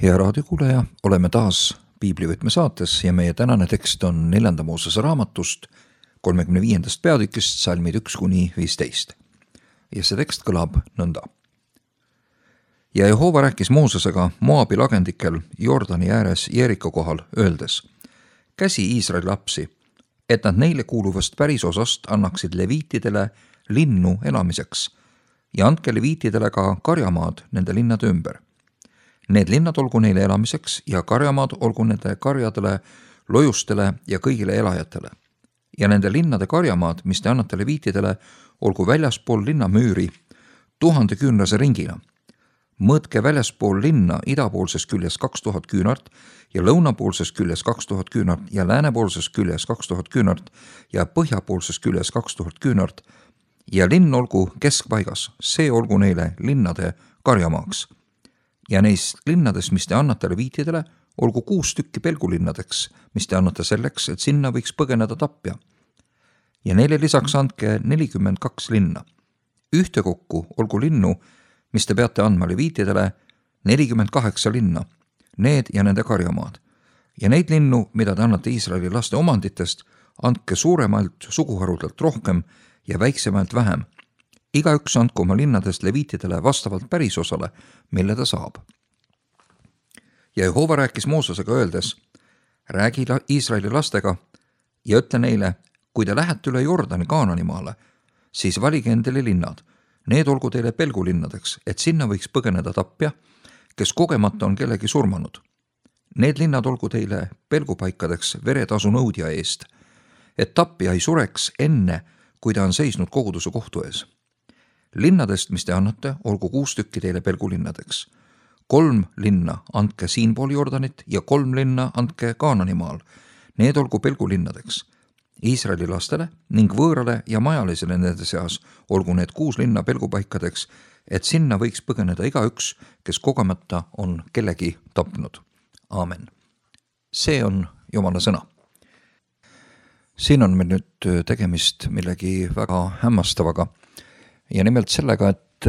Hea raadiokuulaja, oleme taas Piiblivõtme saates ja meie tänane tekst on 4. Moosese raamatust 35. peatükist salmid 1-15. Ja see tekst kõlab nõnda. Ja Jehova rääkis Moosesega Moabi lagendikel Jordani ääres Jeriko kohal, öeldes: käsi Iisraeli lapsi, et nad neile kuuluvast pärisosast annaksid leviitidele linnu elamiseks ja andke leviitidele ka karjamaad nende linnade ümber. Need linnad olgu neile elamiseks ja karjamaad olgu nende karjadele, lojustele ja kõigile elajatele. Ja nende linnade karjamaad, mis te annate leviitidele, olgu väljaspool linna müüri 1000 küünlase ringina. Mõõtke väljaspool linna idapoolses küljes 2000 küünart ja lõunapoolses küljes 2000 küünart ja läänepoolses küljes 2000 küünart ja põhjapoolses küljes 2000 küünart ja linn olgu keskpaigas, see olgu neile linnade karjamaaks. Ja neist linnadest, mis te annate leviitidele, olgu 6 tükki pelgulinnadeks, mis te annate selleks, et sinna võiks põgeneda tapja. Ja neile lisaks andke 42 linna. Ühtekokku olgu linnu, mis te peate andma leviitidele, 48 linna, need ja nende karjamaad. Ja neid linnu, mida te annate Iisraeli laste omanditest, andke suuremalt suguharudelt rohkem ja väiksemalt vähem. Igaüks andku oma linnadest leviitidele vastavalt pärisosale, mille ta saab. Ja Jehova rääkis Moosesega öeldes: räägi Iisraeli lastega ja ütle neile, kui te lähete üle Jordani Kaananimaale, siis valige endale linnad. Need olgu teile pelgulinnadeks, et sinna võiks põgeneda tapja, kes kogemata on kellegi surmanud. Need linnad olgu teile pelgupaikadeks veretasu nõudja eest, et tapja ei sureks enne, kui ta on seisnud koguduse kohtu ees. Linnadest, mis te annate, olgu 6 tükki teile pelgulinnadeks. 3 linna andke siinpool Jordanit ja 3 linna andke Kaananimaal. Need olgu pelgulinnadeks. Iisraeli lastele ning võõrale ja majalisele nende seas olgu need 6 linna pelgupaikadeks, et sinna võiks põgeneda igaüks, kes kogemata on kellegi tapnud. Aamen. See on Jumala sõna. Siin on meil nüüd tegemist millegi väga hämmastavaga. Ja nimelt sellega, et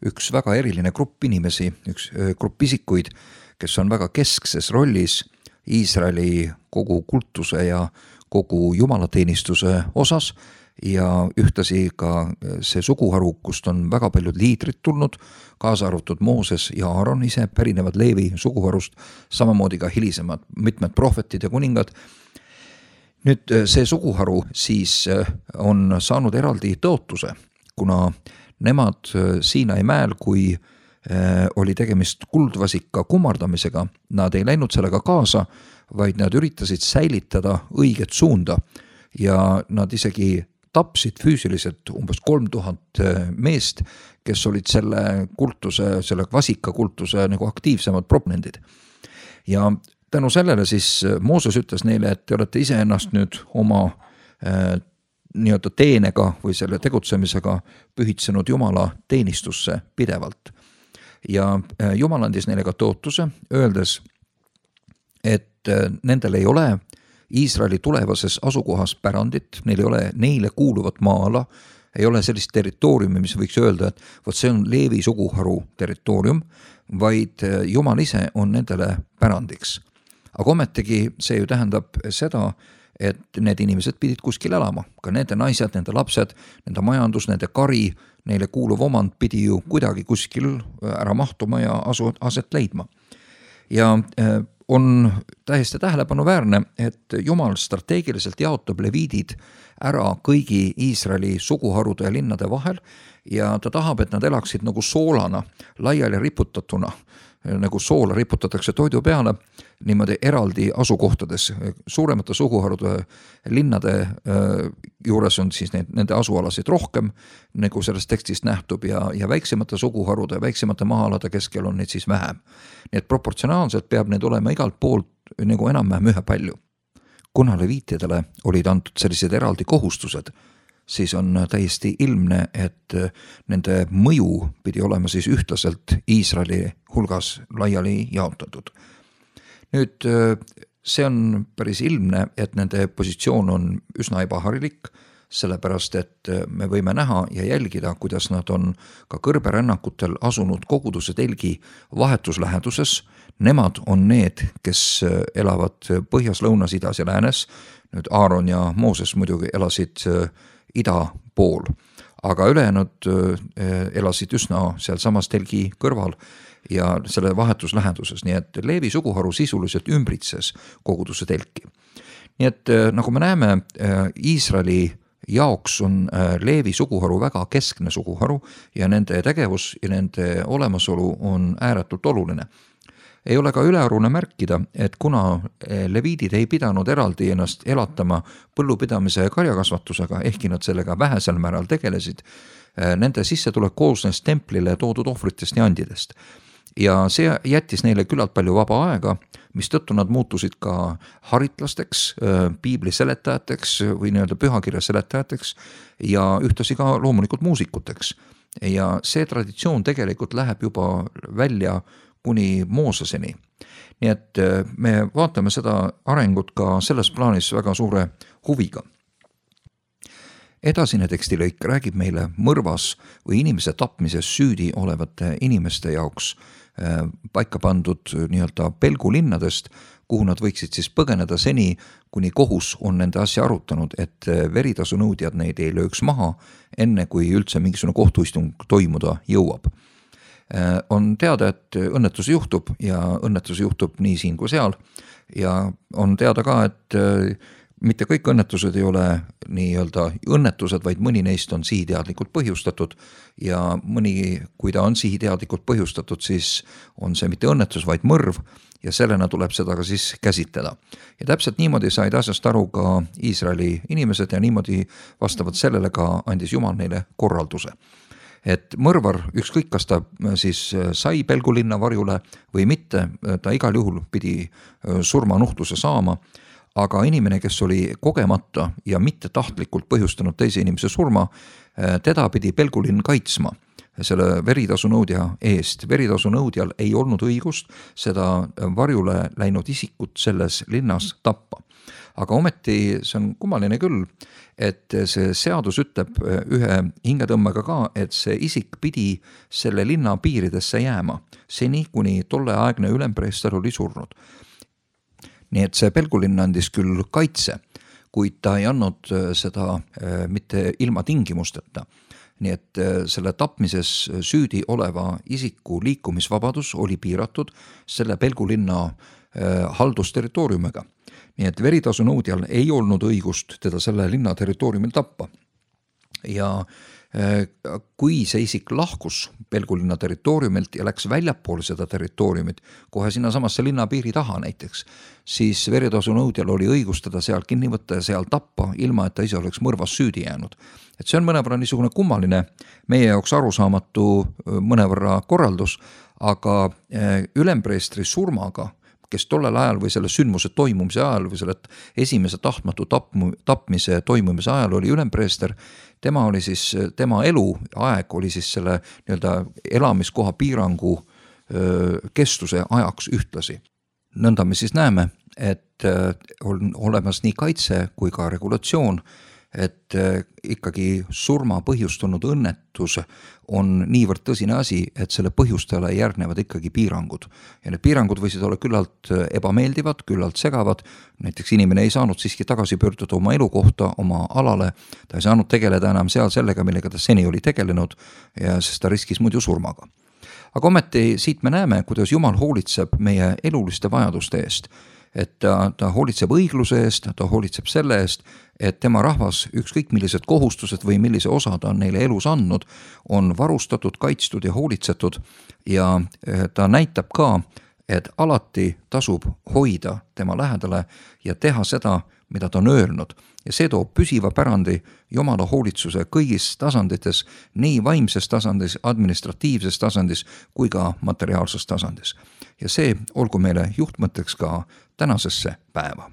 üks väga eriline grupp inimesi, üks grupp isikuid, kes on väga keskses rollis Iisraeli kogu kultuse ja kogu jumalateenistuse osas ja ühtasi ka see suguharu, kust on väga paljud liidrid tulnud, kaasa arvatud Mooses ja Aaron ise pärinevad Leevi suguharust, samamoodi ka hilisemad mitmed prohvetid ja kuningad. Nüüd see suguharu siis on saanud eraldi tõotuse, kuna nemad Siinai mäel, kui oli tegemist kuldvasika kummardamisega, nad ei läinud sellega kaasa, vaid nad üritasid säilitada õiget suunda ja nad isegi tapsid füüsiliselt umbes 3000 meest, kes olid selle kultuse, selle vasikakultuse nagu aktiivsemad proponendid. Ja tänu sellele siis Mooses ütles neile, et te olete ise ennast nüüd oma nii-öelda teenega või selle tegutsemisega pühitsenud Jumala teenistusse pidevalt. Ja Jumal andis neile ka tõotuse, öeldes, et nendel ei ole Iisraeli tulevases asukohas pärandit, neil ei ole neile kuuluvat maa-ala, ei ole sellist territooriumi, mis võiks öelda, et vot see on Leevi suguharu territoorium, vaid Jumal ise on nendele pärandiks. Aga ometigi see ju tähendab seda, et need inimesed pidid kuskil elama, ka nende naised, nende lapsed, nende majandus, nende kari, neile kuuluv omand pidi ju kuidagi kuskil ära mahtuma ja aset leidma. Ja on täiesti tähelepanuväärne, et Jumal strateegiliselt jaotab leviidid ära kõigi Iisraeli suguharude ja linnade vahel ja ta tahab, et nad elaksid nagu soolana, laiali riputatuna, nagu soola riputatakse toidu peale, niimoodi eraldi asukohtades. Suuremate suguharude linnade juures on siis nende asualasid rohkem, nagu sellest tekstist nähtub, ja väiksemate suguharude, väiksemate maa-alade keskel on neid siis vähem. Nii et proportsionaalselt peab need olema igalt poolt nagu enam-vähem ühe palju. Kuna leviitidele olid antud sellised eraldi kohustused, siis on täiesti ilmne, et nende mõju pidi olema siis ühtlaselt Iisraeli hulgas laiali jaotatud. Nüüd see on päris ilmne, et nende positsioon on üsna ebaharilik, sellepärast et me võime näha ja jälgida, kuidas nad on ka kõrberännakutel asunud koguduse telgi vahetusläheduses. nemad on need, kes elavad põhjas, lõunas, idas ja läänes. Nüüd Aaron ja Mooses muidugi elasid ida pool, aga ülejäänud elasid üsna seal samas telgi kõrval ja selle vahetus läheduses, nii et Leevi suguharu sisuliselt ümbritses koguduse telki. Nii et nagu me näeme, Iisraeli jaoks on Leevi suguharu väga keskne suguharu ja nende tegevus ja nende olemasolu on ääretult oluline. Ei ole ka ülearune märkida, et kuna leviidid ei pidanud eraldi ennast elatama põllupidamise ja karjakasvatusega, ehkki nad sellega vähesel määral tegelesid, nende sissetulek koosnes templile toodud ohvritest ja andidest. Ja see jättis neile küllalt palju vaba aega, mistõttu nad muutusid ka haritlasteks, piibli seletajateks või pühakirja seletajateks ja ühtlasi ka loomulikult muusikuteks. Ja see traditsioon tegelikult läheb juba välja kuni Mooseseni. Nii et me vaatame seda arengut ka selles plaanis väga suure huviga. Edasine tekstilõik räägib meile mõrvas või inimese tapmises süüdi olevate inimeste jaoks paika pandud pelgulinnadest, kuhu nad võiksid siis põgeneda seni, kuni kohus on nende asja arutanud, et veritasunõudjad neid ei lööks maha, enne kui üldse mingisugune kohtuistung toimuda jõuab. On teada, et õnnetusi juhtub ja õnnetusi juhtub nii siin kui seal ja on teada ka, et mitte kõik õnnetused ei ole õnnetused, vaid mõni neist on sihiteadlikult põhjustatud ja mõni, kui ta on sihiteadlikult põhjustatud, siis on see mitte õnnetus, vaid mõrv ja sellena tuleb seda ka siis käsitleda. Ja täpselt niimoodi said asjast aru ka Iisraeli inimesed ja niimoodi vastavalt sellele ka andis Jumal neile korralduse. Et mõrvar, ükskõik kas ta siis sai pelgulinna varjule või mitte, ta igal juhul pidi surmanuhtluse saama, aga inimene, kes oli kogemata ja mitte tahtlikult põhjustanud teise inimese surma, teda pidi pelgulinn kaitsma selle veritasunõudja eest. Veritasunõudjal ei olnud õigust seda varjule läinud isikut selles linnas tappa. Aga ometi see on kummaline küll, et see seadus ütleb ühe hingetõmmega ka, et see isik pidi selle linna piiridesse jääma, seni kuni tolleaegne ülempreester oli surnud. Nii et see pelgulinn andis küll kaitse, kuid ta ei andnud seda mitte ilma tingimusteta. Nii et selle tapmises süüdi oleva isiku liikumisvabadus oli piiratud selle pelgulinna haldusterritooriumiga. Nii et veritasunõudjal ei olnud õigust teda selle linna territooriumil tappa. Ja kui see isik lahkus pelgulinna territooriumilt ja läks väljapool seda territooriumit, kohe sinna samasse linna piiri taha näiteks, siis veritasunõudjal oli õigus teda seal kinni võtta ja seal tappa, ilma et ta ise oleks mõrvas süüdi jäänud. Et see on mõnevõrra niisugune kummaline, meie jaoks arusaamatu mõnevõrra korraldus, aga ülempreestri surmaga, kes tollel ajal või selle sündmuse toimumise ajal või selle esimese tahtmatu tapmise toimumise ajal oli ülempreester, tema eluaeg oli siis selle elamiskoha piirangu kestuse ajaks ühtlasi. Nõnda me siis näeme, et on olemas nii kaitse kui ka regulatsioon, et ikkagi surma põhjustanud õnnetus on niivõrd tõsine asi, et selle põhjustajale järgnevad ikkagi piirangud. Ja need piirangud võisid olla küllalt ebameeldivad, küllalt segavad, näiteks inimene ei saanud siiski tagasi pöörduda oma elukohta, oma alale, ta ei saanud tegeleda enam seal sellega, millega ta seni oli tegelenud, sest ta riskis muidu surmaga. Aga ometi siit me näeme, kuidas Jumal hoolitseb meie eluliste vajaduste eest, et ta hoolitseb õigluse eest, ta hoolitseb selle eest, et tema rahvas, ükskõik millised kohustused või millise osa ta on neile elus andnud, on varustatud, kaitstud ja hoolitsetud ja ta näitab ka, et alati tasub hoida tema lähedale ja teha seda, mida ta on öelnud. Ja see toob püsiva pärandi Jumala hoolitsuse kõigis tasandites, nii vaimses tasandis, administratiivses tasandis kui ka materiaalses tasandis. Ja see olgu meile juhtmõtteks ka tänasesse päeva.